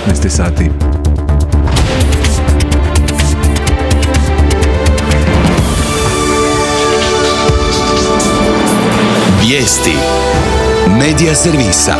15 sati. Vijesti Medija servisa.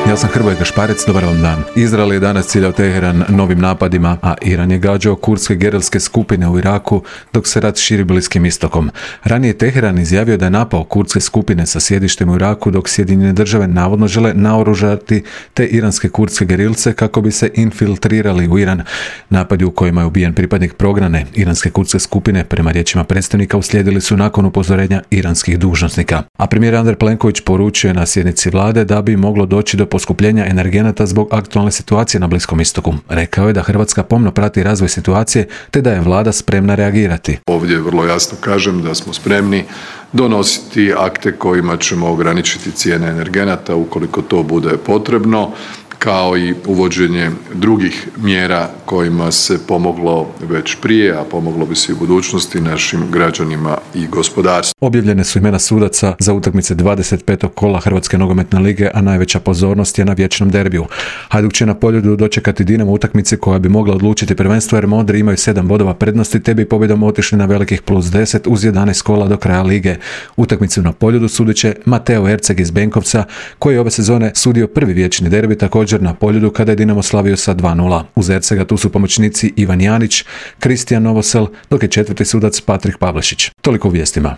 Ja sam Hrvoje Gašparec, dobar vam dan. Izrael je danas ciljao Teheran novim napadima, a Iran je gađao kurdske gerilske skupine u Iraku dok se rat širi Bliskim istokom. Ranije Teheran izjavio da je napao kurdske skupine sa sjedištem u Iraku dok Sjedinjene države navodno žele naoružati te iranske kurdske gerilce kako bi se infiltrirali u Iran. Napadi u kojima je ubijen pripadnik prognane iranske kurdske skupine, prema riječima predstavnika, uslijedili su nakon upozorenja iranskih dužnosnika. A premijer Andrej Plenković poručio je na sjednici vlade da bi moglo doći do poskupljenja energenata zbog aktualne situacije na Bliskom istoku. Rekao je da Hrvatska pomno prati razvoj situacije te da je vlada spremna reagirati. Ovdje vrlo jasno kažem da smo spremni donositi akte kojima ćemo ograničiti cijene energenata ukoliko to bude potrebno, kao i uvođenje drugih mjera kojima se pomoglo već prije, a pomoglo bi se i u budućnosti našim građanima i gospodarstvu. Objavljene su imena sudaca za utakmice 25. kola Hrvatske nogometne lige, a najveća pozornost je na vječnom derbiju. Hajduk će na Poljudu dočekati Dinamo utakmici koja bi mogla odlučiti prvenstvo jer Modri imaju 7 bodova prednosti te bi pobjedom otišli na velikih +10 uz 11 kola do kraja lige. Utakmicu na Poljudu sudit će Mateo Erceg iz Benkovca koji je ove sezone sudio prvi vječni derbi također na Poljudu kada je Dinamo slavio sa 2:0. Uz Ercega tu su pomoćnici Ivan Janić, Kristijan Novosel, dok je četvrti sudac Patrik Pavlešić. Toliko u vijestima.